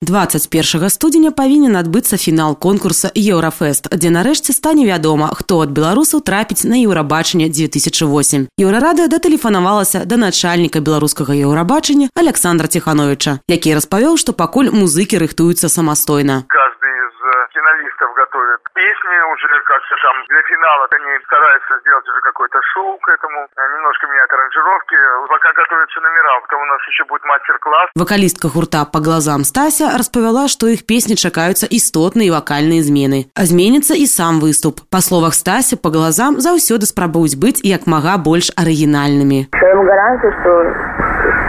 21 студзеня павінен адбыцца фінал конкурса «Еўрафест», дзе нарэшце стане вядома, хто ад беларусаў трапіць на Еўрабачанне 2008. Еўрарадыё датэлефанавалася да начальніка беларускага Еўрабачання Александра Тихановича, які распавёў, што пакуль музыкі рыхтуюцца самастойна. Каждый из финалистов готовит песни уже, как-то там для финала они стараются сделать уже какое-то шоу к этому, немножко меняют аранжировки, пока готовятся номера, потом у нас еще будет мастер-класс. Вокалистка гурта «По глазам» Стася распавяла, што іх песні чакаюцца істотныя вакальныя змены. А зменіцца і сам выступ. Па словах Стасі, «По глазам» заўсёды спрабуюць быць як мага больш арыгінальнымі. Я вам гарантую, что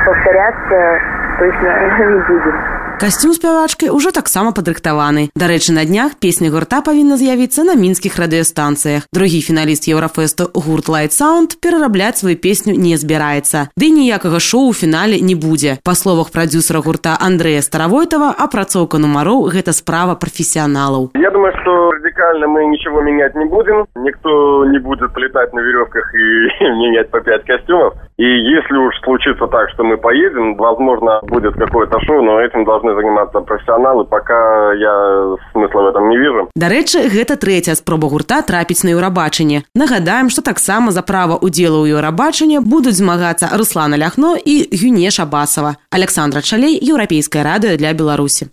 повторяться точно не будем. Касцюм спявачкі ўжо таксама падрыхтаваны. Дарэчы, на днях песня гурта павінна з'явіцца на мінскіх радыёстанцыях. Другі фіналіст Еўрафесту гурт Light Sound перарабляць сваю песню не збіраецца. Ды ніякага шоу у фінале не будзе. Па словах прадзюсара гурта Андрэя Старавойтова, апрацоўка нумароў – гэта справа профессионалов. Я думаю, что радикально мы ничего менять не будем. Никто не будет летать на веревках и менять по 5 костюмов. И если уж случится так, что мы поедем, возможно, будет какое-то шоу, но этим должны заниматься профессионалы, пока я смысла в этом не вижу. Дарэчы, гэта трэцяя спроба гурта трапіць на Еўрабачанне. Нагадаем, што таксама за права удзелу ў Еўрабачанні будуць змагацца Руслана Ляхно і Гюне Шабасова. Александра Чалей, Еўрапейскае радыё для Беларусі.